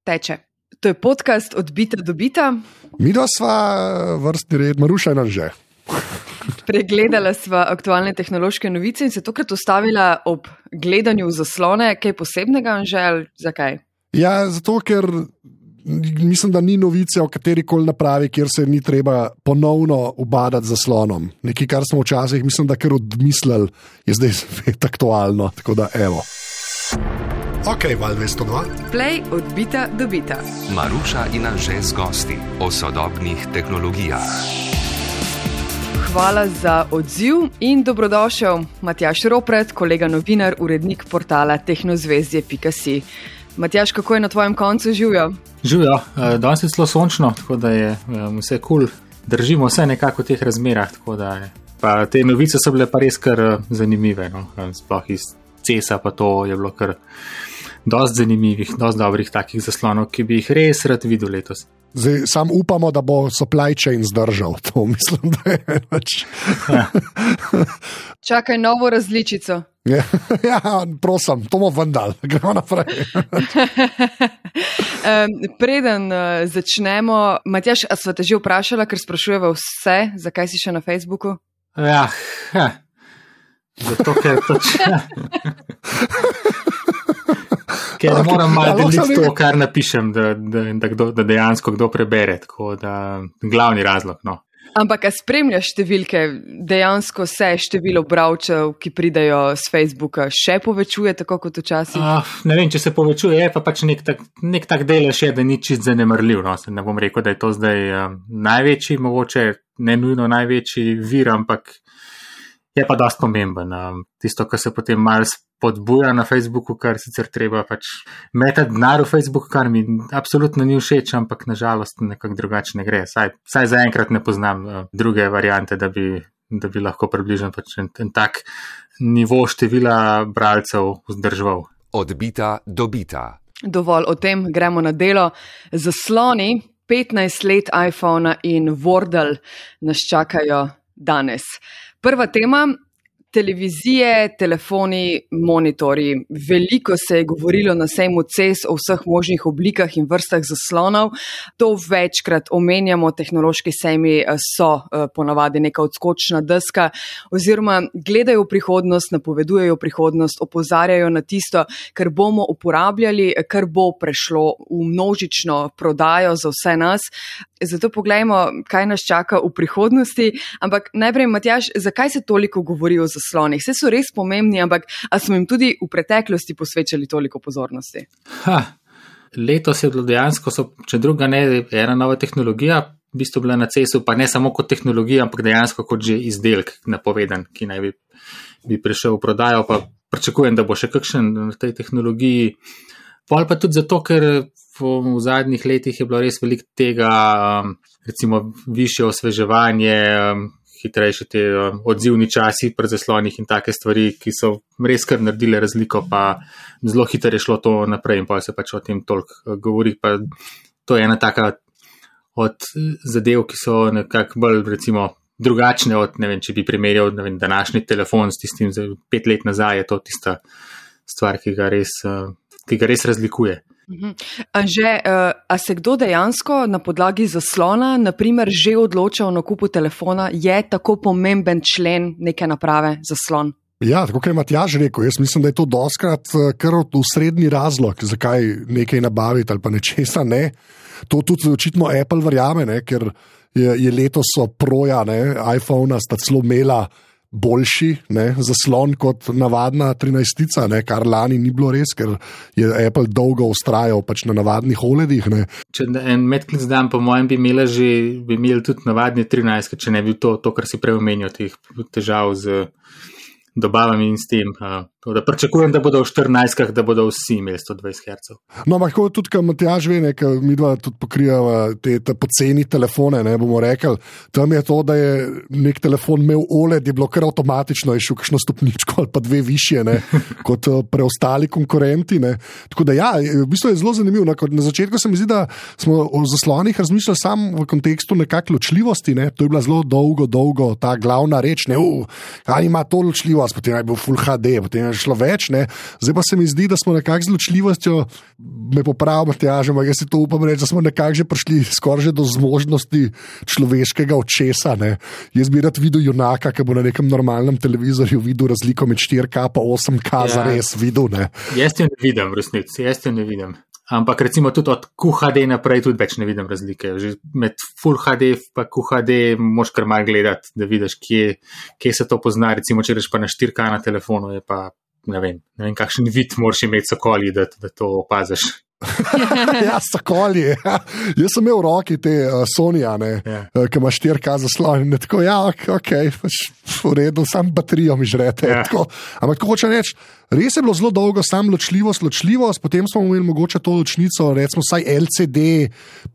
teče. To je podcast od bita do bita. Midva sva vrstni red, Maruša in Anže. Pregledala sva aktualne tehnološke novice in se tokrat ustavila ob gledanju v zaslone. Kaj posebnega, Anže, ali zakaj? Ja, zato, ker mislim, da ni novice o katerikoli napravi, kjer se ni treba ponovno ubadati z zaslonom. Nekaj, kar smo včasih, mislim, da kar odmislili, je zdaj spet aktualno. Tako da, evo. Ok, Val 202. Play od bita do bita. Maruša in Anže z gosti o sodobnih tehnologijah. Hvala za odziv in dobrodošel Matjaž Ropret, kolega novinar, urednik portala tehnozvezdje.si. Matjaž, kako je na tvojem koncu živjo? Živjo, danes je celo sončno, tako da je vse cool. Držimo vse nekako v teh razmerah, tako da je. Pa te novice so bile pa res kar zanimive, no? Sploh iz CES-a pa to je bilo kar dosti zanimivih, dosti dobrih takih zaslonov, ki bi jih res rad videl letos. Zdaj, sam upamo, da bo supply chain zdržal, to mislim, da je več. Ja. Čakaj novo različico. Ja, prosim, to bomo vendal, gremo naprej. Preden začnemo, Matjaž, a sva te že vprašala, ker sprašujeva vse, zakaj si še na Facebooku? Ja. Zato, ker ker moram malo deliti to, kar napišem, da dejansko kdo prebere, tako da glavni razlog, no. Ampak, a spremljaš številke, dejansko se število bralcev, ki pridajo z Facebooka, še povečuje, tako kot včasih? Ne vem, če se povečuje, je pa pač nek tak delež je, da ni čist zanemarljiv, no. Ne bom rekel, da je to zdaj največji, mogoče ne nujno največji vir, ampak je pa dosti pomemben. Tisto, kar se potem malo spodbuja na Facebooku, kar sicer treba pač metati denar v Facebook, kar mi absolutno ni všeč, ampak nažalost nekako drugače ne gre. Saj zaenkrat ne poznam druge variante, da bi lahko približno pač en tak nivo števila bralcev vzdrževal. Od bita do bita. Dovolj o tem, gremo na delo. Zasloni 15 let iPhona in Wordle nas čakajo danes. Prva tema, televizije, telefoni, monitorji. Veliko se je govorilo na sejmu CES o vseh možnih oblikah in vrstah zaslonov. To večkrat omenjamo, tehnološki sejmi so ponavadi neka odskočna deska oziroma gledajo v prihodnost, napovedujejo prihodnost, opozarjajo na tisto, kar bomo uporabljali, kar bo prešlo v množično prodajo za vse nas. Zato poglejmo, kaj nas čaka v prihodnosti. Ampak najprej, Matjaž, zakaj se toliko govori o zaslonih? Vse so res pomembni, ampak a smo jim tudi v preteklosti posvečali toliko pozornosti? Letos je bilo dejansko, če druga ne, ena nova tehnologija, v bistvu bila na CES-u, pa ne samo kot tehnologija, ampak dejansko kot že izdelek napovedan, ki naj bi prišel v prodajo, pa pričakujem, da bo še kakšen v tej tehnologiji. Pol pa tudi zato, ker v zadnjih letih je bilo res veliko tega, recimo višje osveževanje, hitrejše te odzivni časi pri zaslonih in take stvari, ki so res kar naredile razliko, pa zelo hitro je šlo to naprej in pa se pač o tem toliko govori. Pa to je ena taka od zadev, ki so nekako bolj recimo drugačne od, ne vem, če bi primerjal današnji telefon s tistim 5 let nazaj, je to tista stvar, ki ga res razlikuje. Anže, a se kdo dejansko na podlagi zaslona, naprimer, že odloča o nakupu telefona, je tako pomemben člen neke naprave zaslon? Ja, tako kot je Matjaž rekel, jaz mislim, da je to dostkrat kar osrednji razlog, zakaj nekaj nabaviti ali pa nečesa ne. To tudi očitno Apple verjame, ne, ker je letos proja iPhona sta celo imela boljši zaslon kot navadna 13-tica, kar lani ni bilo res, ker je Apple dolgo ustrajal pač na navadnih OLED-ih. Če en medklic dan, po mojem, bi imeli tudi navadne 13, če ne bi to, kar si prej omenil, teh težav z dobavami in s tem. Da pričakujem, da bodo v 14-kah, da bodo vsi imeli 120 Hz. No, ampak tudi, kot Matjaž ve, mi dva tudi pokrijava te poceni telefone, bomo rekli, tam je to, da je nek telefon imel OLED, je bilo kar avtomatično, je šel kakšno stopničko ali pa 2 višje, kot preostali konkurenti. Tako da ja, v bistvu je zelo zanimivo. Na začetku se mi zdi, da smo o zaslonih razmišljali samo v kontekstu nekak ločljivosti, to je bila zelo dolgo ta glavna reč, ali ima to ločljivost, potem je bil Full HD, potem šlo več, ne. Zdaj pa se mi zdi, da smo nekako z ločljivostjo, me popravim, Matjaž, ampak jaz si to upam reči, da smo nekako že prišli skoraj že do zmožnosti človeškega očesa, ne. Jaz bi rad videl junaka, ki bo na nekem normalnem televizorju videl razliko med 4K pa 8K zares videl, ne. Jaz jo ne vidim, v resnici, jaz jo ne vidim. Ampak recimo tudi od QHD naprej tudi več ne vidim razlike. Že med Full HD pa QHD moš kar malo gledati, da vidiš, kje se to pozna. Recimo, če reš pa na 4K na telefonu, je pa, ne vem kakšen vid moraš imeti sokoli, da to opaziš. Ja, sokoli. Ja. Jaz sem imel v roki te Sonya, ki ima 4K zaslon. Tako, ok, v redu, sam baterijo mi žrete. Ja. Ampak tako hoče reči, res je bilo zelo dolgo, sam ločljivost, potem smo imeli mogoče to ločnico, recimo vsaj LCD,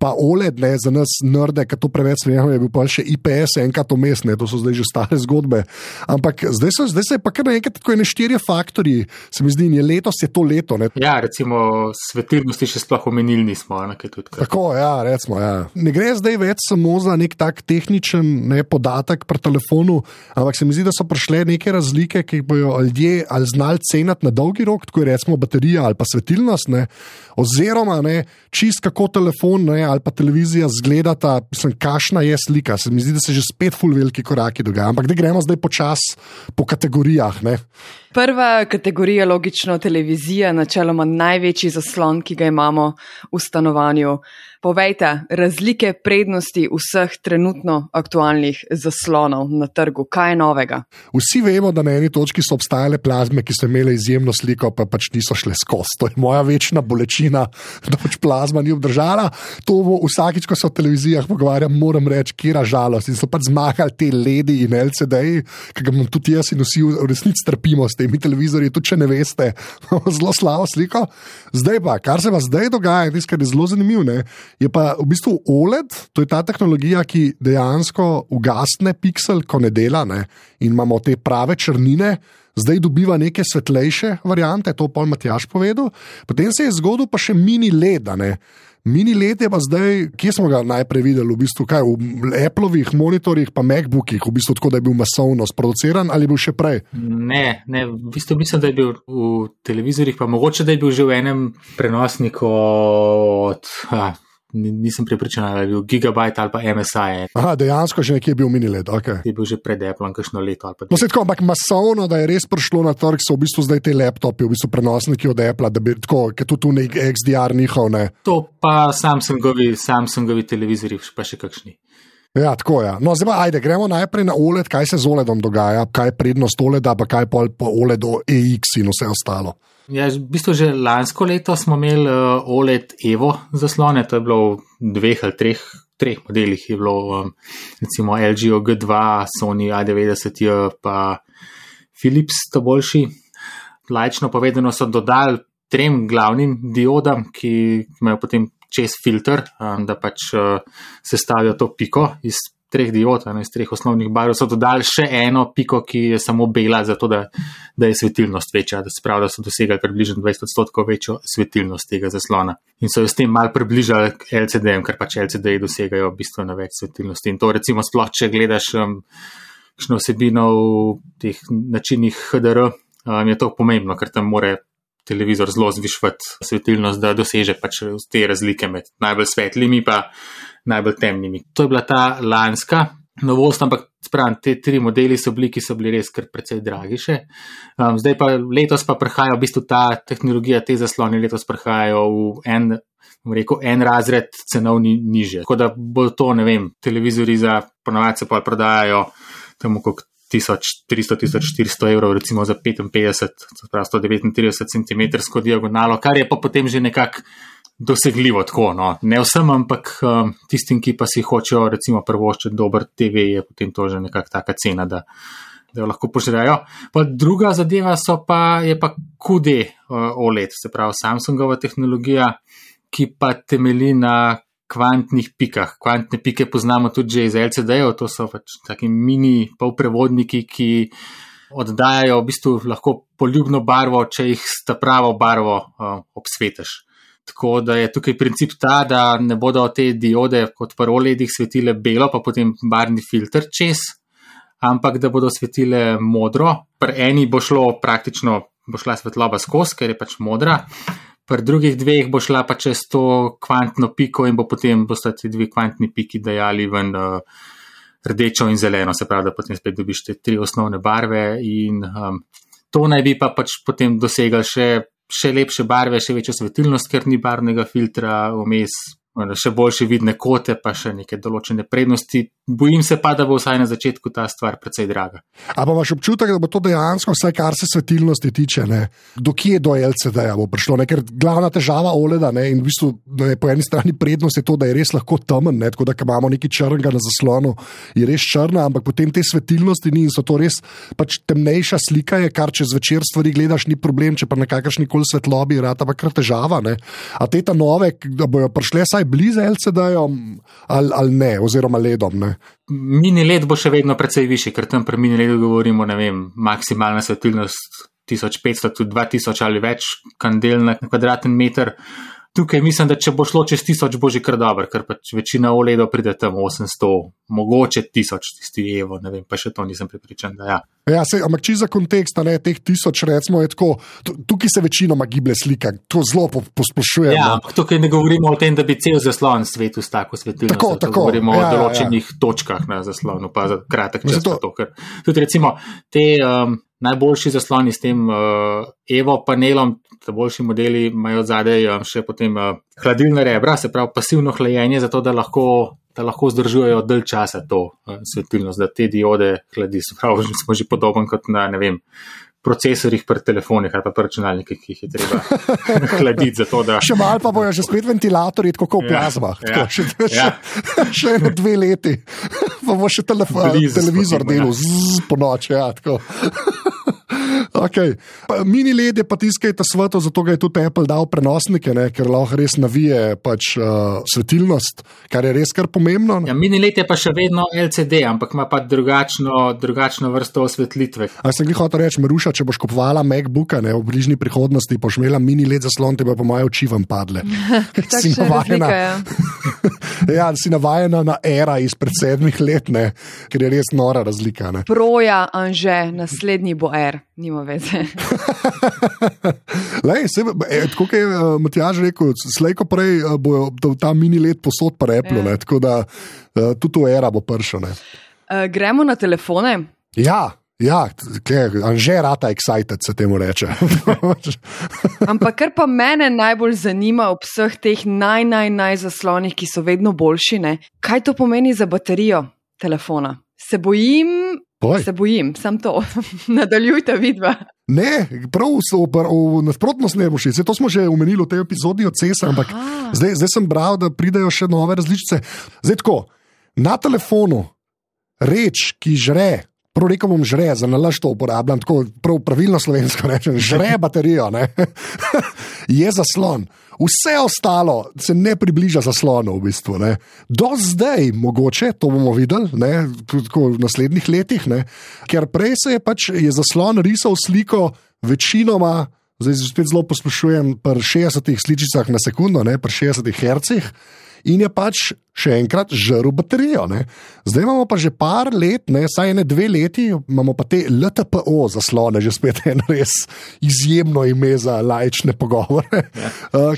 pa OLED, ne, za nas nerde, ki to preveč smejamo, je bil pa še IPS, enkrat vmes, ne, to so zdaj že stare zgodbe. Ampak zdaj se je pa kar enkrat tako ene 4 faktorji, se mi zdi, in letos je to leto. Ne. Ja, recimo svetilnosti še sploh omenili nismo. Tako, ja, recimo, ja. Ne gre zdaj več samo za nek tak tehničen podatek pri telefonu, ampak se mi zdi, da so prišle neke razlike, ki bojo ljudje ali znali ceniti na dolgi rok, tako je recimo baterija ali pa svetilnost, ne, oziroma ne, čist kako telefon, ne, ali pa televizija zgledata, kakšna je slika. Se mi zdi, da se že spet ful veliki koraki dogajajo, ampak da gremo zdaj počas po kategorijah, ne. Prva kategorija, logično, televizija, načeloma največji zaslon, ki ga imamo v stanovanju. Povejte, razlike, prednosti vseh trenutno aktualnih zaslonov na trgu. Kaj je novega? Vsi vemo, da na eni točki so obstajale plazme, ki so imele izjemno sliko, pa pač niso šle skozi. To je moja večna bolečina, da pač plazma ni obdržala. To bo vsakič, ko se o televizijah pogovarjam, moram reči, kjera žalost. In so pač zmagali te LED-i in LCD-ji, ki ga imam tudi jaz in vsi v resnici trpimo s temi televizorji, tudi če ne veste, zelo slabo sliko. Zdaj pa, kar se pa zdaj dogaja, tisto, kar je zelo zanimivo, ne, je pa v bistvu OLED, to je ta tehnologija, ki dejansko ugasne piksel, ko ne dela, ne, in imamo te prave črnine, zdaj dobiva neke svetlejše variante, to pol Matjaž povedal. Potem se je zgodil pa še mini LED, ne. Mini LED je pa zdaj, kje smo ga najprej videli, v bistvu kaj, v Applovih monitorjih pa Macbookih, v bistvu tako, da je bil masovno sproduciran, ali je bil še prej? Ne, v bistvu mislim, da je bil v televizorjih, pa mogoče, da je bil že v enem prenosniku od... Nisem prepričan, ali je bil Gigabyte ali pa MSI. Aha, dejansko že nekje je bil mini LED, ok. Je bil že pred Applom, kakšno leto ali pa... No, se tako, ampak masovno, da je res prišlo na trg, so v bistvu zdaj te laptopi, v bistvu prenosniki od Appla, da bi tako, ker tu nek XDR njihov, ne. To pa Samsungovi televizori, pa še kakšni. Ja, tako je. Ja. No, zdaj pa, ajde, gremo najprej na OLED, kaj se z OLEDom dogaja, kaj je prednost OLEDa, pa kaj pa OLED EX in vse ostalo. Ja, v bistvu že lansko leto smo imeli OLED Evo zaslone, to je bilo v 2 ali 3 modelih, je bilo recimo LG OG2, Sony A90J, pa Philips, to boljši. Laično povedano so dodali 3 glavnim diodam, ki imajo potem čez filter, da pač sestavijo to piko iz 3 diod, iz 3 osnovnih barv, so dodali še eno piko, ki je samo bela, zato da je svetilnost večja, da se pravi, da so dosegali približno 20% večjo svetilnost tega zaslona. In so jo s tem malo približali LCD-jem, ker pač LCD-ji dosegajo bistveno več svetilnosti. In to recimo sploh, če gledaš kakšno vsebino v teh načinih HDR, je to pomembno, ker tam more televizor zelo zvišvati svetilnost, da doseže pač te razlike med najbolj svetlimi pa najbolj temnimi. To je bila ta lanska novost, ampak spravim, te 3 modeli so bili res kar precej dragi še. Zdaj pa letos pa prihajajo v bistvu ta tehnologija, te zasloni letos prihajajo v en razred cenovni niže. Tako da bo to, ne vem, televizori za ponovadi se pa prodajajo tam okrog 1300-1400 evrov, recimo za 55, pravi 139 cm diagonalo, kar je pa potem že nekako dosegljivo tako, no. Ne vsem, ampak tistim, ki pa si hočejo recimo privoščiti dober TV, je potem to že nekako taka cena, da jo lahko požrejo. Pa druga zadeva je pa QD OLED, se pravi Samsungova tehnologija, ki pa temelji na kvantnih pikah. Kvantne pike poznamo tudi že iz LCD-jev, to so pač taki mini polprevodniki, ki oddajajo v bistvu lahko poljubno barvo, če jih s ta pravo barvo obsvetiš. Tako da je tukaj princip ta, da ne bodo te diode kot pri OLED-ih svetile belo, pa potem barvni filter čez, ampak da bodo svetile modro. Pri eni bo šlo praktično bo šla svetloba skozi, ker je pač modra. Pri drugih dveh bo šla pa čez to kvantno piko in bosta ti dve kvantni piki dajali ven rdečo in zeleno, se pravi, da potem spet dobiš te 3 osnovne barve in to naj bi pa pač potem dosegali še lepše barve, še večjo svetilnost, ker ni barvnega filtra vmes, še boljše vidne kote, pa še neke določene prednosti. Bojim se pa, da bo vsaj na začetku ta stvar precej draga. A pa imaš občutek, da bo to dejansko, vsaj kar se svetilnosti tiče, ne? Do kje do LCD-ja bo prišlo? Ne? Ker glavna težava OLED-a, ne? In v bistvu po eni strani prednost je to, da je res lahko temen, ne? Tako da imamo nekaj črnega na zaslonu, je res črna, ampak potem te svetilnosti ni in so to res pač temnejša slika, je, kar če zvečer stvari gledaš, ni problem, če pa na kakršnikoli svetlobi rata pa kar težava. Ne? A te ta nove, da bojo prišle saj blizu LCD-jom ali ne, oziroma ledom, ne? Mini LED bo še vedno precej višji, ker tam pri mini LEDu govorimo, ne vem, maksimalna svetilnost 1500, tudi 2000 ali več kandel na kvadraten meter. Tukaj mislim, da če bo šlo čez 1000, bo že kar dobro, ker pač večina OLEDov pride tam 800, mogoče 1000, tisti Evo, ne vem, pa še to nisem prepričan, da ja. Ja, ampak čisto za kontekst, ne, teh 1000 recimo je tako, tukaj se večinoma giblje slika, to zelo posplošujem. Ja, ampak tukaj ne govorimo o tem, da bi cel zaslon svetu s tako svetilnostjo, tako, govorimo o določenih točkah na zaslonu, pa za kratek čas pa to, ker tudi recimo te najboljši zasloni s tem Evo panelom, ta boljši modeli imajo zadaj še potem hladilna rebra, se pravi pasivno hlajenje, zato da lahko zdržujejo dalj časa to svetilnost, da te diode hladi. Se pravi, smo že podoben kot na, ne vem, procesorjih pri telefonih ali pa pri računalnikih, ki jih je treba hladiti zato, da... Še malo pa bojo že spet ventilatorji, tako v plazmah. Še 1-2 leti. Pa bo še televizor delal po noči, ja, tako. Okay. Mini LED je pa tiskajte sveto, zato ga je tudi Apple dal prenosnike, ne, ker lahko res navije pač svetilnost, kar je res kar pomembno. Ja, mini LED je pa še vedno LCD, ampak ima pa drugačno vrsto osvetlitve. A sem glih hotel reči, Maruša, če boš kupovala MacBooka, ne, v bližnji prihodnosti, boš imela mini LED zaslon, te bo po moje oči vam padle. Si navajena. Ja, si navajena na era izpred 7 let, ne, ker je res nora razlika. Ne. Proja, Anže, naslednji bo R. Nima veze. Tako je Matjaž rekel, slejko prej bo ta mini LED posod pa Apple, ne, tako da tudi to era bo pršo. Gremo na telefone? Ja, Anže rata excited, se temu reče. Ampak kar pa mene najbolj zanima ob vseh teh naj zaslonih, ki so vedno boljši, ne? Kaj to pomeni za baterijo telefona? Se bojim, sam to. Nadaljujte vidva. Ne, prav v nasprotnost ne boš. To smo že omenili v tej epizodi od CES-a, ampak zdaj sem bral, da pridejo še nove različice. Zdaj tako, na telefonu reč, ki žre, prav rekel bom žre, za nalaž to uporabljam, tako pravilno slovensko rečem, žre baterijo, ne? Je zaslon. Vse ostalo se ne približa zaslonu v bistvu. Ne. Do zdaj, mogoče, to bomo videli, ne, v naslednjih letih, ne, ker prej je zaslon risal sliko večinoma, zdaj spet zelo posplošujem, pri 60 sličicah na sekundo, ne, pri 60 hercih, in je pač še enkrat žrl baterijo. Ne. Zdaj imamo pa že par let, ne, saj 1-2 leti, imamo pa te LTPO zaslone, že spet eno res izjemno ime za laične pogovore,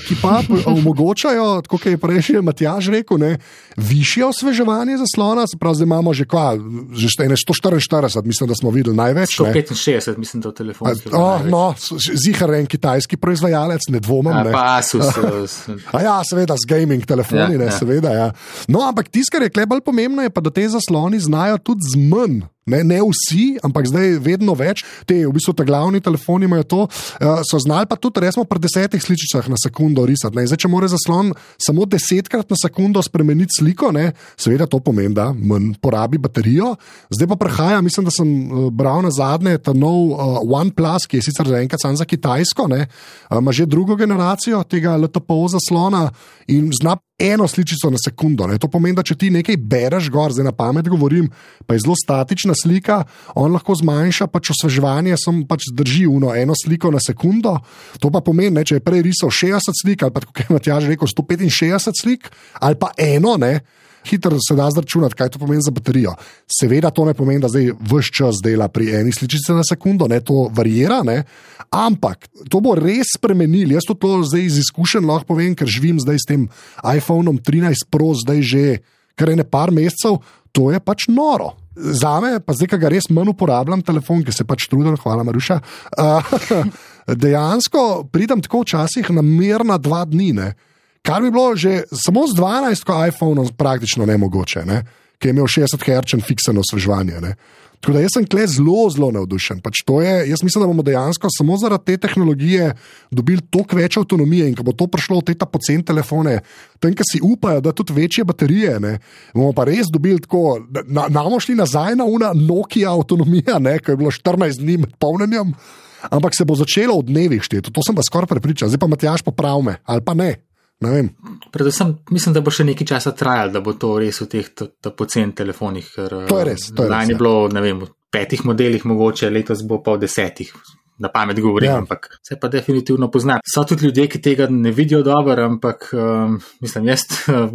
ki pa omogočajo, tako kot je prej Matjaž rekel, ne, višje osveževanje zaslona, se pravi, zdaj imamo že 144, mislim, da smo videli največ. 165, mislim, da v telefonski. No, zihar en kitajski proizvajalec, ne dvomim. Pa Asus. Ja, seveda, z gaming telefoni, ne, seveda, ja. No, ampak tisto, kar je tukaj bolj pomembno, je pa, da te zasloni znajo tudi z manj. Ne vsi, ampak zdaj vedno več. V bistvu ta glavni telefoni imajo to, so znali pa tudi resmo pri 10 sličicah na sekundo risati. Ne. Zdaj, če mora zaslon samo 10krat na sekundo spremeniti sliko, ne, seveda to pomeni, da manj porabi baterijo. Zdaj pa prehaja, mislim, da sem bral na zadnje ta nov OnePlus, ki je sicer zaenkrat samo za Kitajsko, ne, ima že drugo generacijo tega LTPO zaslona in zna eno sličico na sekundo. Ne. To pomeni, da če ti nekaj bereš gor, zdaj na pamet govorim, pa je zelo statična slika, on lahko zmanjša pač osveževanje, pač drži eno sliko na sekundo. To pa pomeni, ne, če je prej risal 60 slik, ali pa, kako je Matjaž rekel, 165 slik, ali pa eno, ne, hitro se da zračunati, kaj to pomeni za baterijo. Seveda to ne pomeni, da zdaj ves čas dela pri eni sličici na sekundo, ne, to varira, ne, ampak to bo res spremenili. Jaz to zdaj iz izkušenj lahko povem, ker živim zdaj s tem iPhoneom 13 Pro, zdaj že kar ene par mesecev, to je pač noro. Zame, pa zdaj, ko ga res manj uporabljam telefon, ki se pač trudim, hvala Maruša, dejansko pridem tako včasih na mirna 2 dni, ne. Kar bi bilo že samo z 12 iPhoneom praktično nemogoče, ne? Ki je imel 60 Hz fikseno osveževanje. Tako da jaz sem tukaj zelo navdušen. Pač jaz mislim, da bomo dejansko samo zaradi te tehnologije dobili toliko več avtonomije in ko bo to prišlo v te poceni telefone, tam, ki si upajo, da tudi večje baterije, ne, bomo pa res dobili tako, bomo šli nazaj na Nokia avtonomija, ne, ko je bilo 14 dni med polnjenjem, ampak se bo začelo v dnevih šteti. To sem pa skoraj prepričan. Zdaj pa Matjaž popravi me, ali pa ne. Ne vem. Predvsem mislim, da bo še nekaj časa trajalo, da bo to res v teh poceni telefonih. To je res. Lani je bilo, ne vem, v 5 modelih mogoče, letos bo pa v 10. Na pamet govorim, ampak se pa definitivno pozna. So tudi ljudje, ki tega ne vidijo dobro, ampak mislim,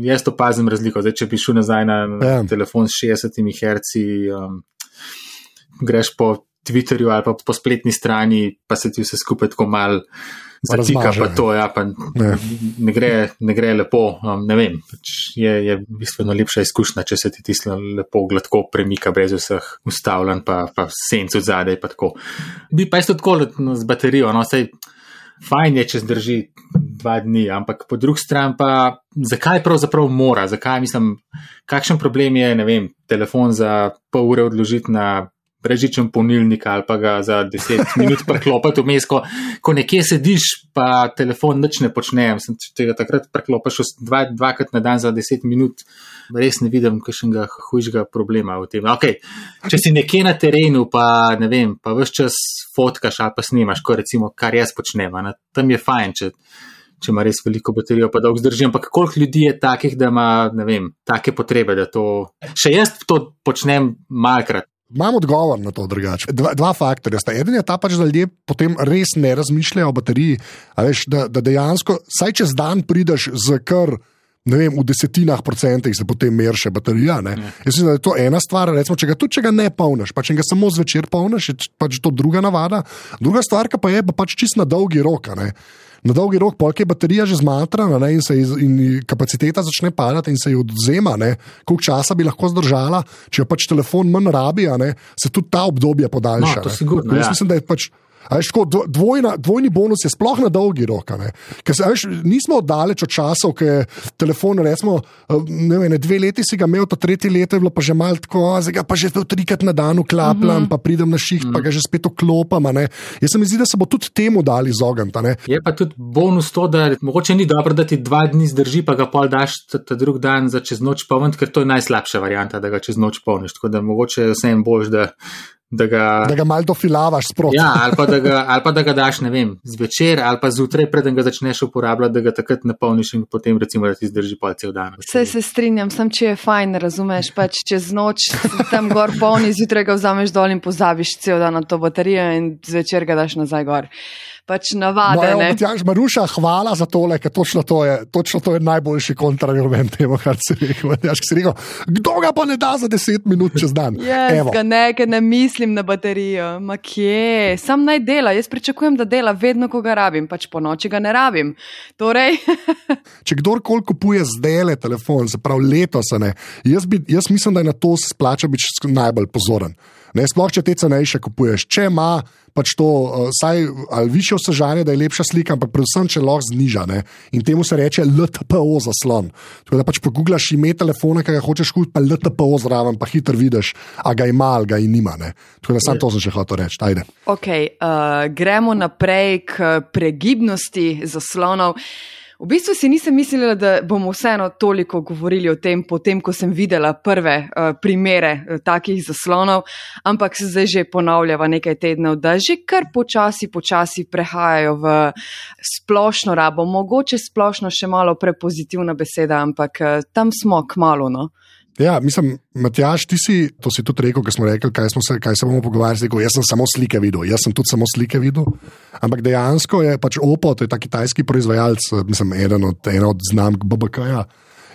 jaz opazim razliko. Zdaj, če bi šel nazaj na telefon s 60 Hz, greš po Twitterju ali pa po spletni strani, pa se ti vse skupaj tako mal zatika, pa to, pa ne gre lepo, ne vem, je bistveno lepša izkušnja, če se ti tisto lepo gladko premika brez vseh ustavljanj, pa senc od zadaj, pa tako. Bi pa isto tako z baterijo, saj fajn je, če zdrži 2 dni, ampak po drugi strani pa, zakaj pravzaprav mora, kakšen problem je, ne vem, telefon za pol ure odložiti na brežičen polnilnik ali pa ga za 10 minut preklopati vmes, ko nekje sediš, pa telefon nič ne počne. Če ga takrat preklopaš dvakrat na dan za 10 minut, res ne vidim kakšnega hujšega problema v tem. Okay. Če si nekje na terenu, pa ne vem, pa ves čas fotkaš ali pa snimaš, recimo, kar jaz počnem, tam je fajn, če ima res veliko baterijo, pa dolgo zdrži, ampak koliko ljudi je takih, da ima, ne vem, take potrebe, da to... Še jaz to počnem malkrat. Imam odgovor na to drugače. Dva faktorja sta. Eden je ta pač, da ljudje potem res ne razmišljajo o bateriji, da dejansko, saj čez dan prideš z kar, ne vem, v 10% se potem merše baterija. Ne? Jaz mislim, da je to ena stvar, recimo, če ga ne polniš, pa če ga samo zvečer polniš, je pač to druga navada. Druga stvar pa je pač čist na dolgi rok, ne? Na dolgi rok, polk je baterija že zmatrana, ne, in kapaciteta začne padati in se ji odzema, ne, koliko časa bi lahko zdržala, če jo pač telefon manj rabi, ne, se tudi ta obdobje podaljša. No, to sigurno, jaz mislim, da je pač dvojni bonus je sploh na dolgi rok. Ker nismo oddaleč od časov, ki je telefon, recimo, ne vem, 2 leti si ga imel, to 3. leto je bilo pa že malo tako, zdaj ga pa že 3-krat na dan vklapljam, pa pridem na šiht, pa ga že spet vklopam. Jaz se mi zdi, da se bo tudi temu dali izogniti. Je pa tudi bonus to, da mogoče ni dobro, da ti 2 dni zdrži, pa ga pol daš ta drug dan za čez noč polniti, ker to je najslabša varianta, da ga čez noč polniš. Tako da mogoče vsem boljš, da ga malo dofilavaš sproti. Ja, ali pa da ga daš, ne vem, zvečer ali pa zjutraj, preden ga začneš uporabljati, da ga takrat napolniš in potem recimo, da ti zdrži pol cel dan. Vse se strinjam, sem če je fajn, razumeš, pač čez noč tam gor polni, zjutraj ga vzameš dol in pozabiš cel dan na to baterijo in zvečer ga daš nazaj gor. Pač navade, ne? Matjaž, Maruša, hvala za tole, ker točno to je najboljši kontraargument temu, kar si rekel. Matjaž, ki si rekel, kdo ga pa ne da za 10 minut čez dan? Jaz ga ne mislim na baterijo. Ma kje? Sam naj dela. Jaz pričakujem, da dela vedno, ko ga rabim. Pač po noči ga ne rabim. Torej... Če kdorkoli kupuje zdajle telefon, se pravi letos, jaz mislim, da je na to splača biti najbolj pozoren. Ne, sploh, če te cenejše kupuješ. Če ima pač to, saj ali višje osvežanje, da je lepša slika, ampak predvsem, če lahko zniža. Ne? In temu se reče LTPO zaslon. Tako da pač poguglaš ime telefona, ki ga hočeš kupiti, pa LTPO zraven, pa hitro vidiš, a ga ima ali ga nima. Ne? Tako da sam to sem še hotel reči. Ajde. Ok, gremo naprej k pregibnosti zaslonov. V bistvu si nisem mislila, da bomo vseeno toliko govorili o tem, potem, ko sem videla prve primere takih zaslonov, ampak se zdaj že ponavljava nekaj tednov, da že kar počasi prehajajo v splošno rabo. Mogoče splošno še malo prepozitivna beseda, ampak tam smo kmalu, no. Ja, mislim, Matjaž, to si tudi rekel, ko smo rekli, kaj se bomo pogovarjali, jaz sem samo slike videl, ampak dejansko je pač Oppo, to je ta kitajski proizvajalec, mislim, ena od znamk BBK-ja,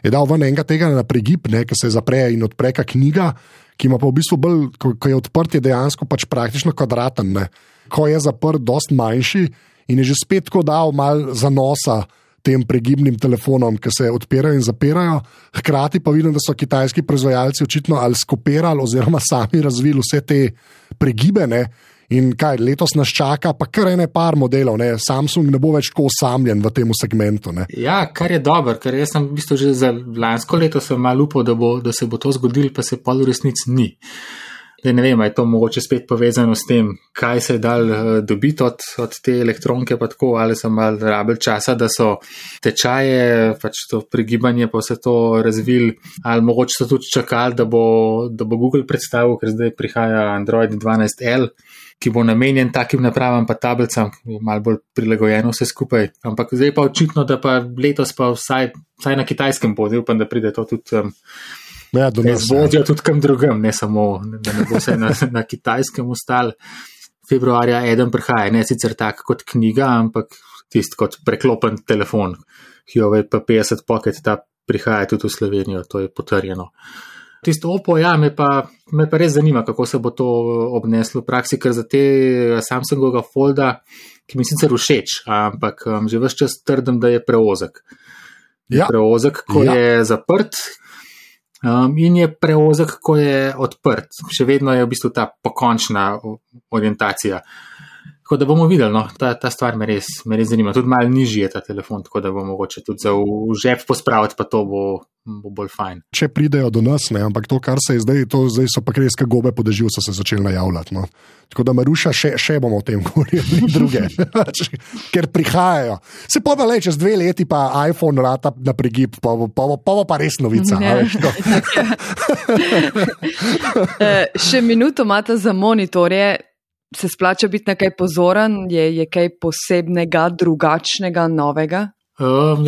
je dal ven enega tega na pregib, ki se zapre in odpre knjiga, ki ima pa v bistvu bolj, ko je odprt, je dejansko pač praktično kvadraten. Ne. Ko je zaprt, dost manjši in je že spet tako dal mal zanosa tem pregibnim telefonom, ki se odpirajo in zapirajo. Hkrati pa vidim, da so kitajski proizvajalci očitno ali skopirali oziroma sami razvili vse te pregibe, ne. In kaj, letos nas čaka pa kar ene par modelov, ne. Samsung ne bo več tako osamljen v tem segmentu. Ne. Ja, kar je dobro, ker jaz sem v bistvu že za lansko leto sem malo upal, da se bo to zgodilo, pa se pol v resnici ni. Da ne vem, je to mogoče spet povezano s tem, kaj se je dal dobiti od te elektronke, pa tako, ali so malo rabili časa, da so tečaje, pač to pregibanje pa vse to razvili, ali mogoče so tudi čakali, da bo Google predstavil, ker zdaj prihaja Android 12L, ki bo namenjen takim napravam pa tablicam, malo bolj prilagojeno vse skupaj. Ampak zdaj pa očitno, da pa letos pa vsaj na kitajskem bo, upam, da pride to tudi zvodijo tudi kam drugem, ne samo, da ne bo vse na kitajskem ostal. Februarja eden prihaja, ne sicer tak kot knjiga, ampak tist kot preklopen telefon. Huawei P50 Pocket, ta prihaja tudi v Slovenijo, to je potrjeno. Tisto Oppo, ja, me pa res zanima, kako se bo to obneslo v praksi, ker za te Samsungovega Folda, ki mi sicer všeč, ampak že ves čas trdim, da je preozek. Preozek, ko je zaprt, in je preozek, ko je odprt. Še vedno je v bistvu ta pokončna orientacija. Tako da bomo videli, no, ta stvar me res zanima. Tudi malo nižji je ta telefon, tako da bo mogoče tudi za v žep pospraviti, pa to bo bolj fajn. Če pridejo do nas, ne, ampak to, kar se je zdaj so pa kreska gobe po dežju, so se začeli najavljati. No. Tako da Maruša, še bomo o tem govorili druge, ker prihajajo. Se pa da čez 2 leti pa iPhone rata na pregib, pa bo pa res novica. Še minuto imate za monitorje. Se splača biti na kaj pozoren? Je kaj posebnega, drugačnega, novega?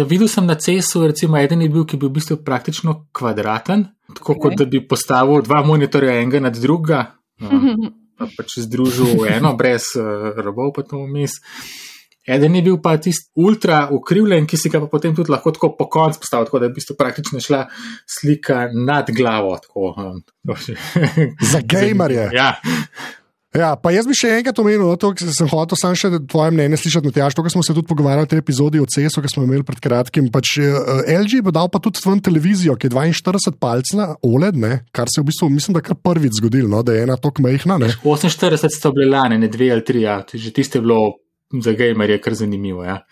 Videl sem na CES-u, recimo eden je bil, ki je bil v bistvu praktično kvadraten, tako kot da bi postavil 2 monitorja enega nad druga, pa pač združil eno brez robov pa to vmes. Eden je bil pa tist ultra ukrivljen, ki si ga pa potem tudi lahko tako po konc postavil, tako da je v bistvu praktično šla slika nad glavo. Za gamerje. Ja. Ja, pa jaz bi še enkrat omenil, to, sem hotel sam še tvoje mnenje slišati, Matjaž, to, kar smo se tudi pogovarjali v tej epizodi o CES-u, ki smo imeli pred kratkim, pač LG bo dal pa tudi ven televizijo, ki je 42 palcna OLED, ne, kar se v bistvu, mislim, da kar prvič zgodilo, no, da je ena tok majhna, ne. 48 sto bile lane, ne 2 ali 3, ja, že tiste je bilo za gamerje kar zanimivo, ja.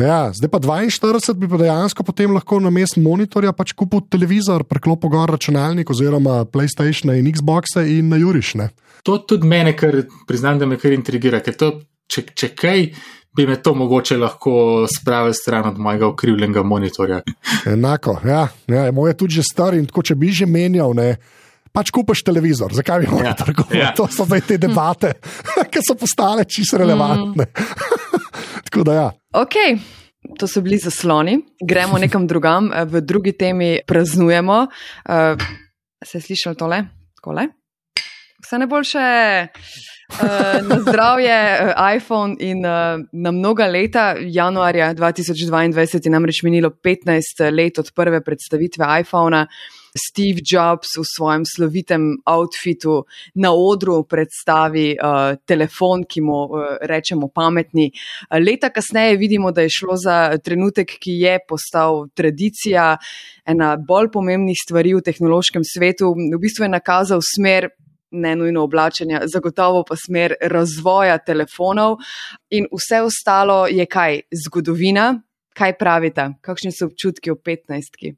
Ja, zdaj pa 42 bi pa dejansko potem lahko na mestu monitorja pač kupil televizor, preklopil gor računalnik oziroma PlayStation in Xboxe in na juriš, ne. To tudi mene, ker priznam, da me kar intrigira, ker to, če kaj, bi me to mogoče lahko spravil stran od mojega ukrivljenega monitorja. Enako, ja, moj je tudi že star in tako, če bi že menjal, ne, pač kupaš televizor, zakaj bi moral trgovati? Ja. To so zdaj te debate, ki so postale čisto relevantne. Tako da ja. Ok, to so bili zasloni. Gremo nekam drugam. V drugi temi praznujemo. Se je slišalo tole? Takole? Vse najboljše. Na zdravje iPhone in na mnoga leta. Januarja 2022 je namreč minilo 15 let od prve predstavitve iPhona. Steve Jobs v svojem slovitem outfitu na odru predstavi telefon, ki mu rečemo pametni. Leta kasneje vidimo, da je šlo za trenutek, ki je postal tradicija, ena bolj pomembnih stvari v tehnološkem svetu. V bistvu je nakazal smer, ne nujno oblačenja, zagotovo pa smer razvoja telefonov in vse ostalo je kaj? Zgodovina. Kaj pravite? Kakšni so občutki v 15-ki?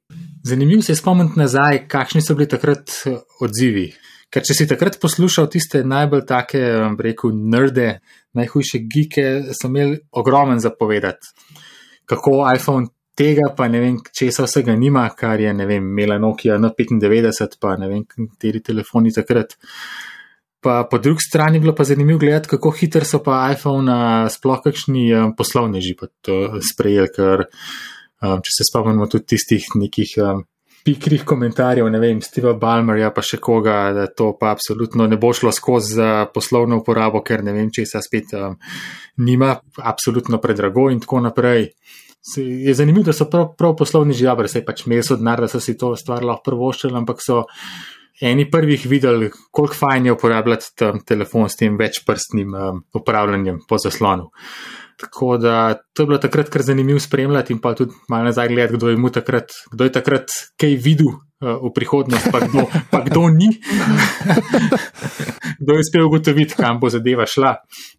Zanimivo se je spomniti nazaj, kakšni so bili takrat odzivi. Ker če si takrat poslušal tiste najbolj take, rekel, nerde, najhujše geeke, so imeli ogromen zapovedati. Kako iPhone tega, pa ne vem, česa vsega nima, kar je, ne vem, imela Nokia N95, pa ne vem, kateri telefoni takrat. Pa po drugi strani bilo pa zanimivo gledati, kako hiter so pa iPhone sploh kakšni poslovneži pa to sprejeli, ker če se spomnimo tudi tistih nekih pikrih komentarjev, ne vem, Steva Ballmerja pa še koga, da to pa absolutno ne bo šlo skozi za poslovno uporabo, ker ne vem, česa spet nima, absolutno predrago in tako naprej. je zanimivo, da so prav poslovneži dobri, saj pač imeli so denar, da so si to stvar lahko privoščili, ampak so eni prvih videli, koliko fajn je uporabljati telefon s tem večprstnim upravljanjem po zaslonu. Tako da to je bilo takrat kar zanimivo spremljati in pa tudi malo nazaj gledati, kdo je takrat kaj videl v prihodnost, pa kdo ni. Kdo je uspel ugotoviti, kam bo zadeva šla.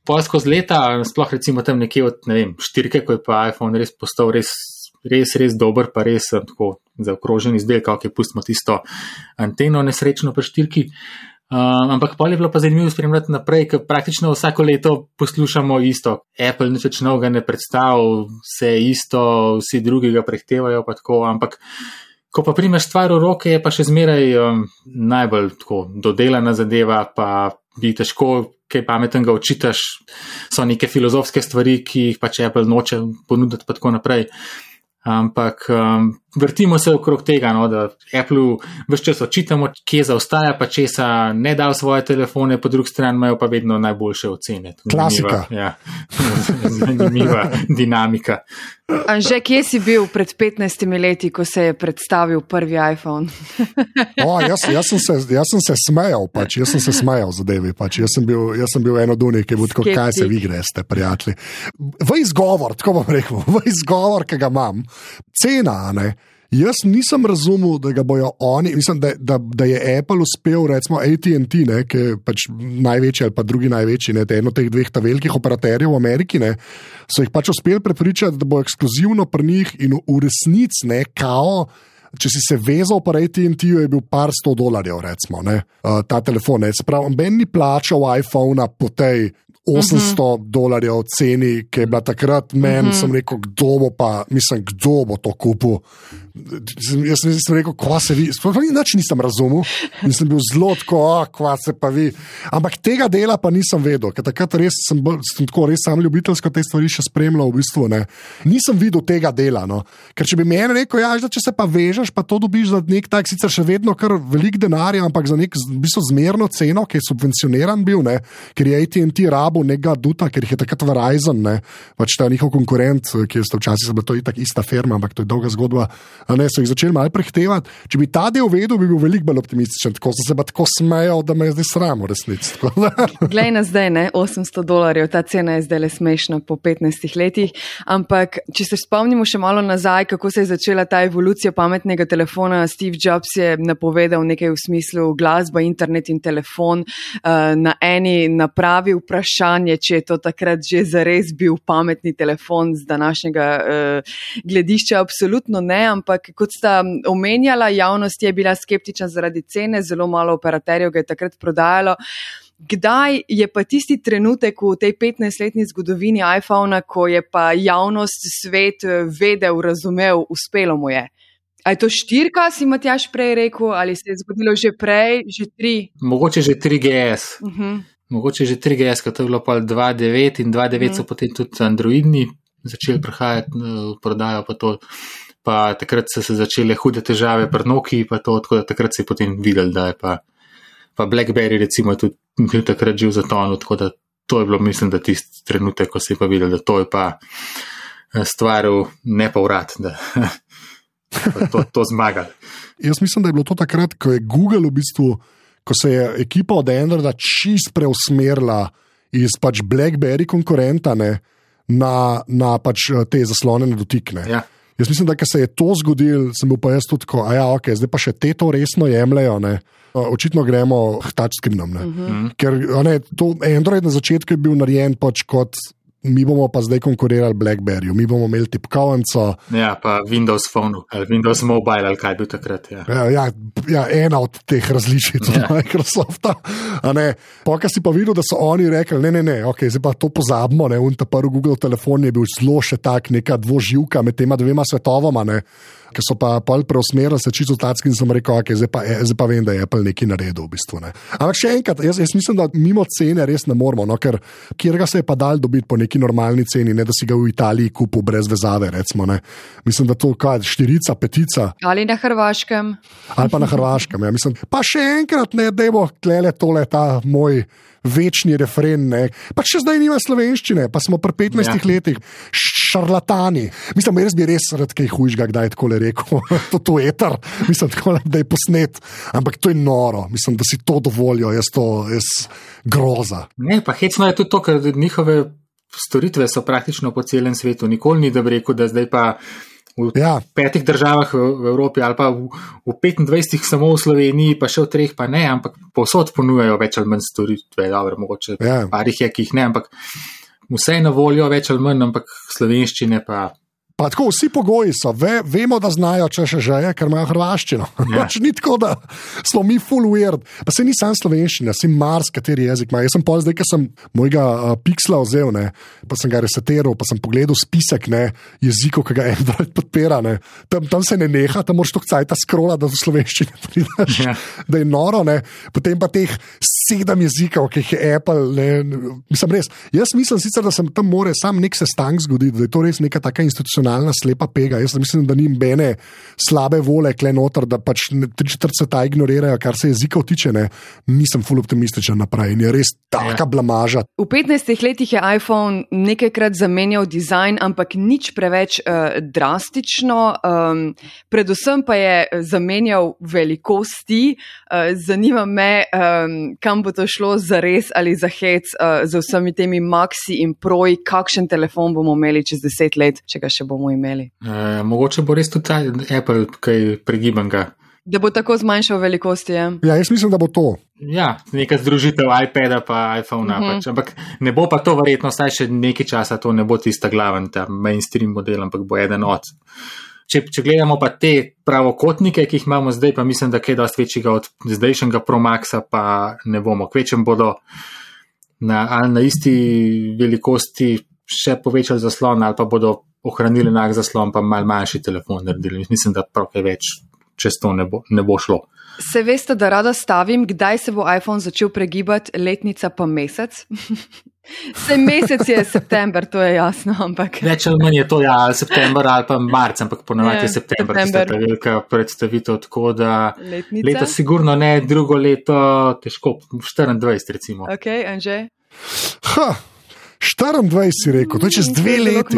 Pol skozi leta, sploh recimo tam nekje od, ne vem, 4, ko je pa iPhone res postal res dober, pa res tako zaokrožen izdelek, kako je pustimo tisto anteno nesrečno pri 4. Ampak pol je bilo pa zanimivo spremljati naprej, ker praktično vsako leto poslušamo isto. Apple nič več novega ne predstavlja, vse isto, vsi drugi ga prehtevajo, pa tako, ampak ko pa primeš stvar v roke, je pa še zmeraj najbolj tako dodelana zadeva, pa bi težko kaj pametnega očitaš, so neke filozofske stvari, ki jih pač Apple noče ponuditi, pa tako naprej. Ampak vrtimo se okrog tega, no, da Apple ves čas očitamo, kje zaostaja, pa česa ne da v svoje telefone, po drugi strani imajo pa vedno najboljše ocene. Klasika. Zanimiva dinamika. Anže, kje si bil pred 15 leti, ko se je predstavil prvi iPhone? Jaz sem se smejal, zadevi. Jaz sem bil eno dunik, ki je bil tako, kaj se vi greste, prijatelji. V izgovor, tako bom rekel, ki ga imam, cena, ne? Jaz nisem razumel, da ga bojo oni, mislim, da je Apple uspel, recimo AT&T, ne, ki je pač največji ali pa drugi največji, ne, eno teh dveh velikih operaterjev v Ameriki, ne, so jih pač uspeli prepričati, da bo ekskluzivno pri njih in v resnici, ne, kao, če si se vezal pa AT&T-ju, je bil par $100, recimo, ne, ta telefon, ne, se pravi, ben ni plačal iPhone-a po tej $800 ceni, ki je bila takrat meni, sem rekel, kdo bo to kupil. Jaz sem rekel, kva se vi, nič nisem razumel, nisem bil zelo tako, kva se pa vi, ampak tega dela pa nisem vedel, ker takrat res sem tako res sam ljubiteljsko te stvari še spremljal, v bistvu, ne. Nisem videl tega dela, no, ker če bi meni rekel, ja, če se pa vežeš, pa to dobiš za nek tak, sicer še vedno kar velik denarja, ampak za nek v bistvu zmerno ceno, ki je subvencioniran bil, ne, ker je AT&T rabil nekega duta, ker jih je takrat Verizon, ne, pač ta njihov konkurent, ki je včasih bila to itak ista firma, ampak to je dolga zgodba, ne, so jih začeli malo prehtevati. Če bi ta del vedel, bi bil veliko bolj optimističen, tako sem se pa tako smejal, da me je zdaj sram v resnici. Glej na zdaj, ne, $800, ta cena je zdaj le smešna po 15 letih, ampak če se spomnimo še malo nazaj, kako se je začela ta evolucija pametnega telefona, Steve Jobs je napovedal nekaj v smislu glasba, internet in telefon, na eni napravi vprašanje, če je to takrat že zares bil pametni telefon z današnjega gledišča, absolutno ne, ampak kot sta omenjala, javnost je bila skeptična zaradi cene, zelo malo operaterjev ga je takrat prodajalo. Kdaj je pa tisti trenutek v tej 15-letni zgodovini iPhona, ko je pa javnost, svet vedel, razumel, uspelo mu je? A je to 4, si Matjaž prej rekel, ali se je zgodilo že prej, že 3? Mogoče že 3GS. Mogoče že 3GS, ko to je bilo pa 2.9 in 2.9 so potem tudi androidni začeli prihajati v prodajo, pa takrat so se začele hude težave pri Nokiji, pa to, tako da takrat se je potem videl, da je pa BlackBerry recimo tudi bil takrat že v zatonu, tako da to je bilo, mislim, da tisti trenutek, ko se je pa videl, da to je pa stvar v nepovrat, da to zmagali. Jaz mislim, da je bilo to takrat, ko je Google v bistvu, ko se je ekipa od Androida čist preusmerila iz pač BlackBerry konkurenta, ne, na pač te zaslonjene dotikne. Ja. Jaz mislim, da ko se je to zgodilo, sem bil pa jaz tudi tako, okay, zdaj pa še te to resno jemljajo, ne. Očitno gremo touchscreenom, ne. Ker to Android na začetku je bil narejen pač kot mi bomo pa zdaj konkurirali BlackBerryju, mi bomo imeli tipkovnico. Ja, pa Windows Phone ali Windows Mobile ali kaj bil takrat. Ja, ena od teh različic od Microsofta. Poka si pa videl, da so oni rekli, ne, okay, zdaj pa to pozabimo, ne, ta prvi Google telefon je bil zelo še tak, neka dvoživka med tema dvema svetovoma, ne, ki so pa pol preusmerili se čisto tacki in sem rekel, okay, zdaj pa vem, da je Apple nekaj naredil v bistvu, ne. Ampak še enkrat, jaz mislim, da mimo cene res ne moramo, no, ker kjerga se je pa dal dobiti po neki normalni ceni, ne da si ga v Italiji kupil brez vezave, recimo, ne. Mislim, da to kaj, 4, 5. Ali na Hrvaškem. Ali pa na Hrvaškem, ja, mislim. Pa še enkrat, ne, dajmo tlele tole, ta moj večni refren, ne. Pa še zdaj nima slovenščine, pa smo pri 15 letih. šarlatani. Mislim, jaz bi res rad kaj hujšega, kdaj je tako rekel. To je eter, mislim, tako, da je posnet. Ampak to je noro, mislim, da si to dovolijo, jaz groza. Ne, pa hecno je tudi to, ker njihove storitve so praktično po celem svetu. Nikoli ni, da bi rekel, da zdaj pa v 5 državah v Evropi ali pa v 25 samo v Sloveniji, pa še v 3 pa ne, ampak povsod ponujajo več ali manj storitve, dobro, mogoče parih je, ki jih ne, ampak vse je na voljo več ali manj, ampak slovenščine pa... Pa tako, vsi pogoji so, vemo, da znajo, če še je, ker imajo hrvaščino. Ni tako, da smo mi full weird. Pa se ni sam slovenščina, si mars, kateri jezik ima. Jaz sem zdaj, ker sem mojega Pixla vzel, ne, pa sem ga resetiral, pa sem pogledal spisek jezikov, ki ga Android podpira. Ne. Tam se ne neha, tam moraš toliko cajta scrolla, da v slovenščini pridaš, da je noro. Ne. Potem pa teh 7 jezikov, ki jih je Apple. Mislim res, jaz mislim sicer, da sem tam more sam nek sestank zgoditi, da je to res neka taka institucionalna slepa pega. Jaz mislim, da ni bene slabe vole kle noter, da pač 3/4 sveta ignorirajo, kar se jezikov tiče. Ne. Nisem ful optimističen naprej in je res taka blamaža. V 15 letih je iPhone nekajkrat zamenjal dizajn, ampak nič preveč drastično. Predvsem pa je zamenjal velikosti. Zanima me, kam bo to šlo za res ali za hec z vsemi temi Maxi in Proji, kakšen telefon bomo imeli čez 10 let, če ga še bomo imeli. Mogoče bo res tudi Apple kaj pregibanega. Da bo tako zmanjšal velikosti, ja? Ja, jaz mislim, da bo to. Ja, neka združitev iPada pa iPhona, pač. Ampak ne bo pa to verjetno, saj še nekaj časa to ne bo tista glaven, ta mainstream model, ampak bo eden od. Če gledamo pa te pravokotnike, ki jih imamo zdaj, pa mislim, da kaj dosti večjega od zdajšnjega Pro Maxa pa ne bomo. Kvečem bodo ali na isti velikosti še povečali zaslon, ali pa bodo ohranili enak zaslon, pa malo manjši telefon naredili. Mislim, da prav kaj več čez to ne bo šlo. Se veste, da rada stavim, kdaj se bo iPhone začel pregibati, letnica pa mesec? Sej mesec je september, to je jasno, ampak... Več ali manj je to, ali september ali pa marc, ampak ponovadi je september, tista ta velika predstavitev, tako da leto sigurno ne, drugo leto težko, 24 recimo. Ok, Anže? 24 si rekel, to je čez 2 leti.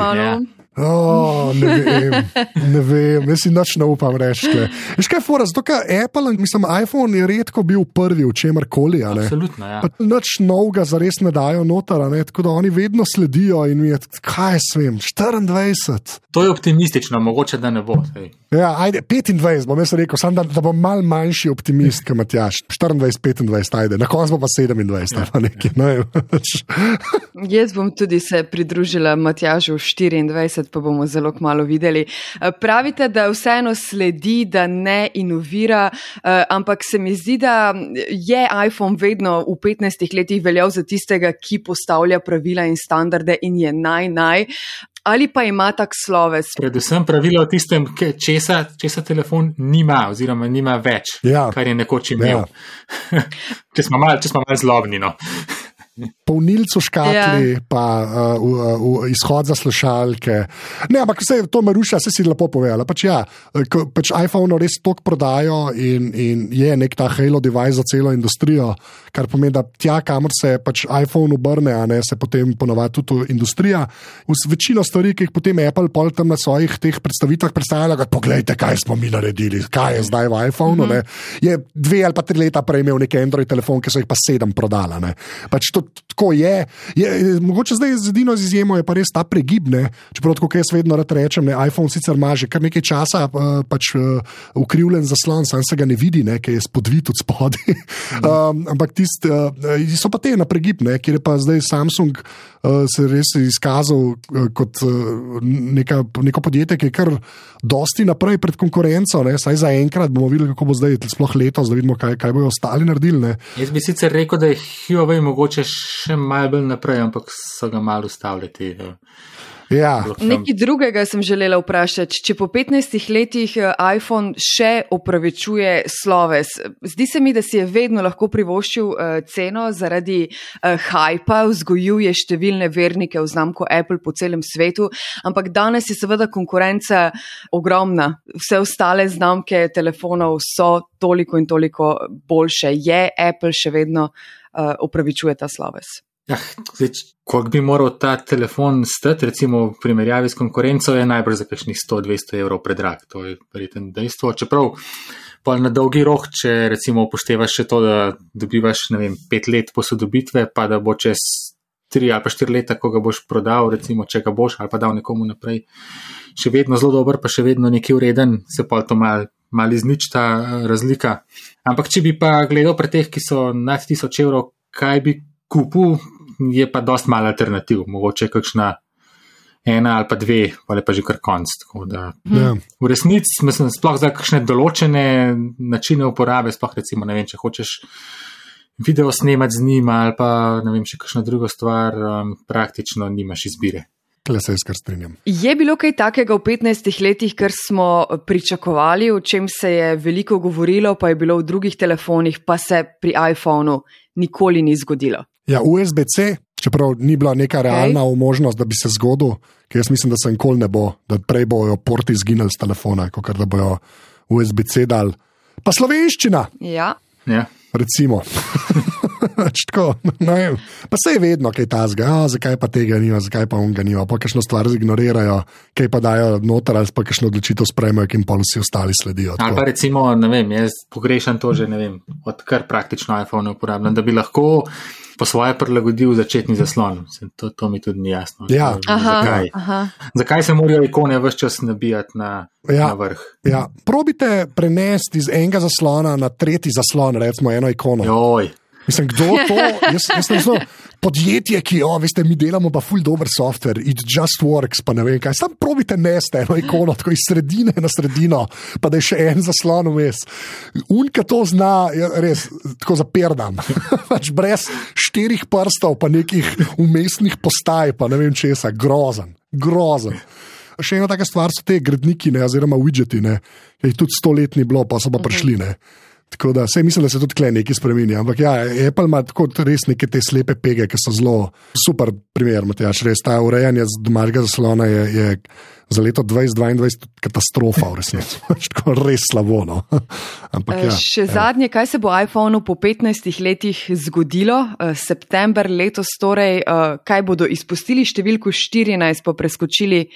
Ne vem, jaz si nič ne upam reči. Veš kaj je fora, zato ker Apple, mislim, iPhone je redko bil prvi v čemarkoli. Absolutno, ja. Nič novega zares ne dajo noter, tako da oni vedno sledijo in mi je, kaj jaz vem, 24. To je optimistično, mogoče da ne bo. Ja, ajde, 25 bom jaz rekel, sam da bom mal manjši optimist, kot Matjaž. 24, 25, ajde, na koncu bo pa 27. Ja. Pa nekaj, Jaz bom tudi se pridružila Matjažu 24, pa bomo zelo kmalu videli. Pravite, da vseeno sledi, da ne inovira, ampak se mi zdi, da je iPhone vedno v 15 letih veljal za tistega, ki postavlja pravila in standarde in je naj. Ali pa ima tak sloves? Predvsem pravila o tistem, česa telefon nima oziroma nima več, kar je nekoč imel. Ja. Če smo malo zlobni, no. Polnilcu škatli, pa izhod za slušalke. Ne, ampak vse to Maruša, vse si lepo povedala. Pač iPhone res toliko prodajo in je nek ta halo device za celo industrijo, kar pomeni, da tja, kamor se pač iPhone obrne, se potem ponovadi tudi industrija. Večino stvari, ki jih potem Apple pol tam na svojih teh predstavitvah predstavlja, poglejte, kaj smo mi naredili, kaj je zdaj v iPhoneu. Je 2 ali pa 3 leta prej imel nek Android telefon, ki so jih pa 7 prodala. Pač to tako je. Mogoče zdaj z edino izjemo je pa res ta pregib, čeprav tako, jaz vedno rad rečem, iPhone sicer ima že kar nekaj časa pač ukrivljen zaslon, sam se ga ne vidi, ki je spodvit od spodaj. Ampak so pa te na pregib, kjer je pa zdaj Samsung se res izkazal kot neko podjetje, ki je kar dosti naprej pred konkurenco, saj za enkrat bomo videli, kako bo zdaj sploh letos, da vidimo, kaj bojo ostali naredili. Jaz bi sicer rekel, da je Huawei mogoče še malo bolj naprej, ampak so ga malo ustavljati. Ja. Nekaj drugega sem želela vprašati. Če po 15 letih iPhone še opravičuje sloves, zdi se mi, da si je vedno lahko privoščil ceno zaradi hajpa, vzgojuje številne vernike v znamko Apple po celem svetu, ampak danes je seveda konkurenca ogromna. Vse ostale znamke telefonov so toliko in toliko boljše. Je Apple še vedno opravičuje ta sloves? Ja, koliko bi moral ta telefon stati, recimo v primerjavi s konkurenco, je najbrž za kakšnih 100-200 evrov predrag. To je verjetno dejstvo. Čeprav pa na dolgi rok, če recimo upoštevaš še to, da dobivaš 5 let posodobitve, pa da bo čez 3 ali pa 4 leta, ko ga boš prodal, recimo, če ga boš ali pa dal nekomu naprej, še vedno zelo dober, pa še vedno nekaj ureden, se pa to mal iznič ta razlika. Ampak če bi pa gledal pri teh, ki so nad 1000 evrov, kaj bi kupil, je pa dost malo alternativ, mogoče kakšna 1 ali pa 2, ali pa že kar konc. V resnici mislim, sploh za kakšne določene načine uporabe, sploh recimo, ne vem, če hočeš video snemati z njim ali pa ne vem, še kakšna druga stvar, praktično nimaš izbire. Se jaz kar strinjam. Je bilo kaj takega v 15 letih, kar smo pričakovali, o čem se je veliko govorilo, pa je bilo v drugih telefonih, pa se pri iPhonu nikoli ni zgodilo? Ja, USB-C, čeprav ni bila neka realna možnost, da bi se zgodil, ker jaz mislim, da se nikoli ne bo, da prej bojo porti izginili z telefona, kot da bojo USB-C dal. Pa slovenščina! Ja. Recimo. Tako, pa se je vedno kaj tazga, zakaj pa tega nima, zakaj pa on ga nima, pa kakšno stvar zignorirajo, kaj pa dajo noter ali pa kakšno odločitev sprejmejo, ki jim pa vsi ostali sledijo. Ali pa recimo, ne vem, jaz pogrešam to že, ne vem, odkar praktično iPhone uporabljam, da bi lahko po svoje prilagodil začetni zaslon. To mi tudi ni jasno. Ja. Zakaj se morajo ikone ves čas nabijati na vrh? Ja. Probite prenesti iz enega zaslona na tretji zaslon, recimo eno ikono. Joj. Mislim, kdo to? Jaz sem zelo podjetje, ki, veste, mi delamo pa ful dober software, it just works, pa ne vem kaj. Sam probite nesti eno ikono, tako iz sredine na sredino, pa da je še en zaslon vmes. Unka to zna, res, tako zaperdam. Pač brez 4 prstov, pa nekih umestnih postaj, pa ne vem česa, grozen. Še ena taka stvar so te gradniki, oziroma widgeti, ki tudi 100 let ni bilo, pa so pa prišli, Tako da, mislim, da se tudi tukaj nekaj spremenja. Ampak ja, Apple ima tako res neke te slepe pege, ki so zelo super primer, Matjaž, res ta urejanje domačega zaslona je za leto 2022 katastrofa v resnici. Tako res slabo, no. Ampak ja. Še zadnje, kaj se bo iPhonu po 15 letih zgodilo? September letos torej, kaj bodo izpustili številko 14, pa preskočili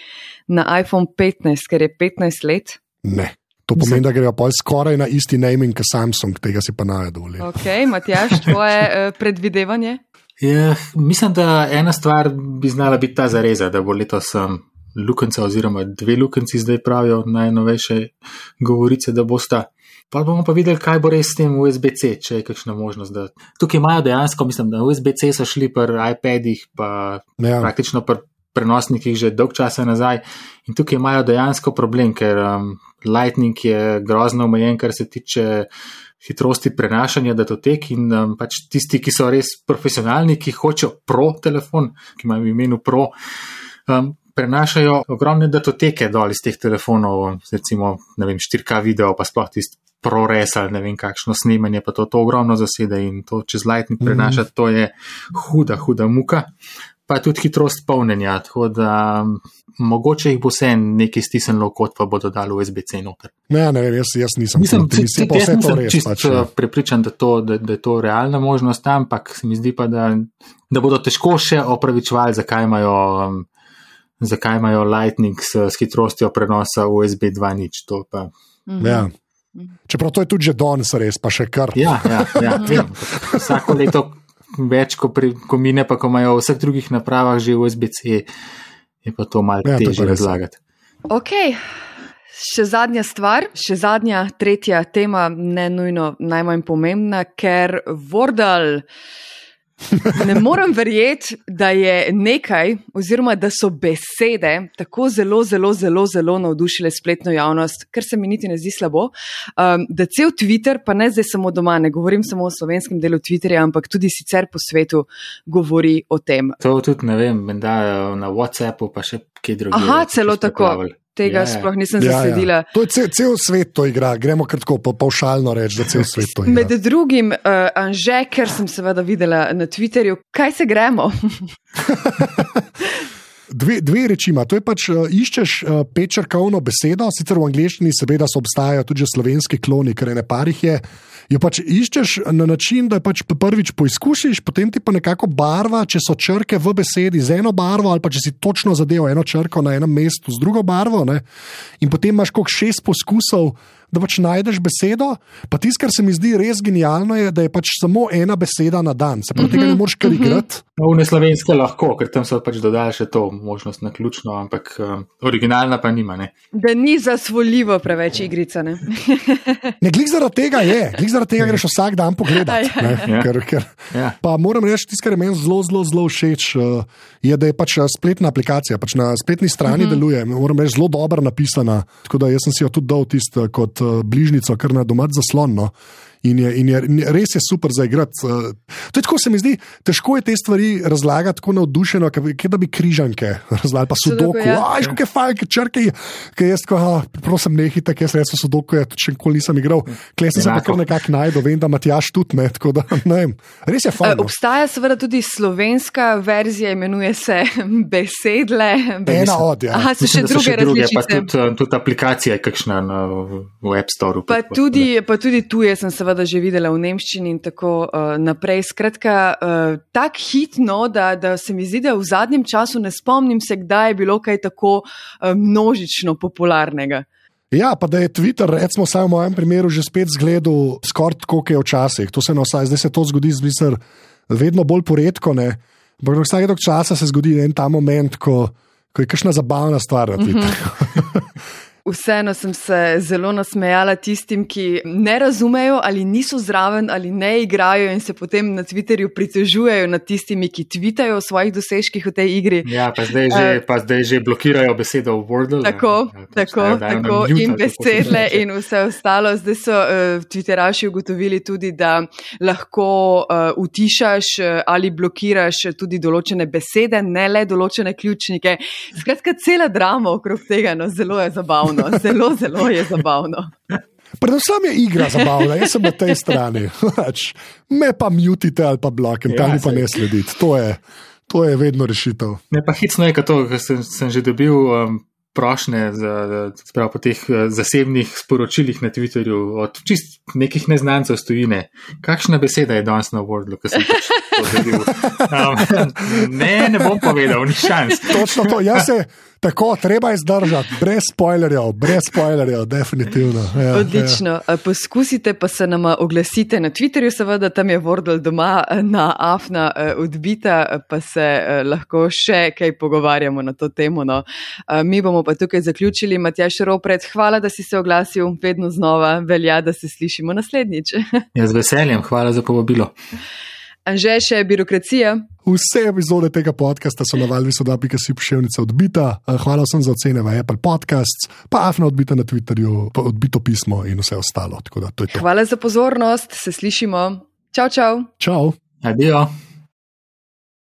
na iPhone 15, ker je 15 let? Ne. To pomeni, da grejo pa skoraj na isti naming, kot Samsung, tega si pa ne dovoli. Ok, Matjaž, tvoje predvidevanje? Mislim, da ena stvar bi znala biti ta zareza, da bo letos lukenca oziroma 2 lukenci zdaj pravijo najnovejše govorice, da bosta. Pa bomo pa videli, kaj bo res s tem USB-C, če je kakšna možnost. Tukaj imajo dejansko, mislim, da USB-C so šli pri iPadih, pa praktično pri prenosnikih že dolg časa nazaj in tukaj imajo dejansko problem, ker Lightning je grozno omejen, kar se tiče hitrosti prenašanja datotek in pač tisti, ki so res profesionalni, ki hočejo Pro telefon, ki imajo v imenu Pro, prenašajo ogromne datoteke dol iz teh telefonov, recimo, ne vem, 4K video, pa sploh tisti ProRes ali ne vem kakšno snemanje, pa to ogromno zasede in to čez Lightning prenašati, to je huda muka. Pa tudi hitrost polnjenja, tako da mogoče jih bo vse nekaj stisnilo kot pa bodo dali USB-C noter. Ne vem, jaz nisem. Mislim, jaz nisem čisto prepričan, da je to realna možnost, ampak se mi zdi pa, da bodo težko še opravičevali, zakaj imajo Lightning s hitrostjo prenosa USB 2.0. To pa. Ja. Čeprav to je tudi že danes res, pa še kar. Ja. Vsako leto več, ko mine, pa ko imajo v vseh drugih napravah že USB-C, je pa to malo težje razlagati. Ok, še zadnja stvar, tretja tema, ne nujno najmanj pomembna, ker Wordle, ne morem verjeti, da je nekaj, oziroma da so besede tako zelo navdušile spletno javnost, ker se mi niti ne zdi slabo, da cel Twitter, pa ne zdaj samo doma, ne govorim samo o slovenskem delu Twitterja, ampak tudi sicer po svetu govori o tem. To tudi ne vem, da na WhatsAppu pa še kje drugi. Aha, celo tako. Tega sploh nisem zasledila. To je cel svet to igra, gremo kratko pavšalno reči, da cel svet to igra. Med drugim, Anže, ker sem seveda videla na Twitterju, kaj se gremo? Dve reči ima. To je pač iščeš petčrkovno besedo, sicer v angleščini seveda obstajajo tudi slovenski kloni, ker ene parih je. Jo pač iščeš na način, da pač prvič poizkusiš, potem ti pa nekako barva, če so črke v besedi z eno barvo, ali pa če si točno zadeval eno črko na enem mestu z drugo barvo, ne? In potem imaš koliko 6 poskusov, da pač najdeš besedo. Pa tisto, kar se mi zdi res genialno, je, da je pač samo ena beseda na dan. Se pravi, tega ne moreš kar igrati. V neslovenske lahko, ker tam so pač dodali še to možnost na ključno, ampak originalna pa nima. Ne? Da ni zasvoljivo preveč igrica. Ne, glih zaradi tega je. Glih zaradi tega greš vsak dan pogledati. Pa moram reči, tisto, kar je meni zelo všeč, je, da je pač spletna aplikacija. Pač na spletni strani deluje. Moram reči, zelo dobro napisana. Tako da jaz sem si jo tudi dal tisto kot bližnico, kar na domač zaslonno. In res je super za igrati. To je tako, se mi zdi, težko je te stvari razlagati tako navdušeno, kot da bi križanke razlagali, pa sudoku. Kako je fajn, črke, ki jaz prosim nehite, ker jaz resno sudoku, še nikoli nisem igral. Klej sem se pa kar nekako najdel, vem, da Matjaž tudi ne, tako da ne vem. Res je fajn. Obstaja seveda tudi slovenska verzija, imenuje se Besedle. Ena od, ja. Aha, so še druge različice. Pa tudi aplikacija je kakšna v App Storeu. Pa tudi tuje sem seveda že videla v nemščini in tako naprej. Skratka, tak hitno, da se mi zdi, da v zadnjem času ne spomnim se, kdaj je bilo kaj tako množično popularnega. Ja, pa da je Twitter, recimo vsaj v mojem primeru, že spet zgledal skoraj tako, kot je včasih. To se zdaj se to zgodi vedno bolj poredko, ne. Ampak vsake dolgo časa se zgodi en ta moment, ko je kakšna zabavna stvar na Twitterju. Vseeno sem se zelo nasmejala tistim, ki ne razumejo ali niso zraven ali ne igrajo in se potem na Twitterju pritožujejo nad tistimi, ki tvitajo o svojih dosežkih v tej igri. Ja, pa zdaj že blokirajo besedo v Wordle. Tako, in Besedle in vse ostalo. Zdaj so Twitteraši ugotovili tudi, da lahko utišaš ali blokiraš tudi določene besede, ne le določene ključnike. Skratka, cela drama okrog tega, no, zelo je zabavno. Zelo je zabavno. Predvsem je igra zabavna, jaz sem na tej strani. Me pa mutite ali pa blokite, ali pa ne sledite. To je vedno rešitev. Ne, pa hicno je, ker sem že dobil prošnje po teh zasebnih sporočilih na Twitterju od čist nekih neznancev stojine. Kakšna beseda je danes na Wordlu, ko sem pač to dobil? Ne bom povedal, ni šans. Točno to, tako, treba je zdržati, brez spoilerjev, definitivno. Ja, odlično. Ja. Poskusite pa se nama oglasite na Twitterju, seveda tam je Wordle doma na Afna odbita, pa se lahko še kaj pogovarjamo na to temo. No. Mi bomo pa tukaj zaključili. Matjaž Ropret, hvala, da si se oglasil, vedno znova velja, da se slišimo naslednjič. Ja, z veseljem, hvala za povabilo. Anže, še birokracija. Vse epizode tega podcasta so na valvisoda.si pošiljnica odbita. Hvala vsem za ocene v Apple Podcasts, pa Afna odbita na Twitterju, pa odbito pismo in vse ostalo. Tako da to je to. Hvala za pozornost, se slišimo. Čau. Čau. Adijo.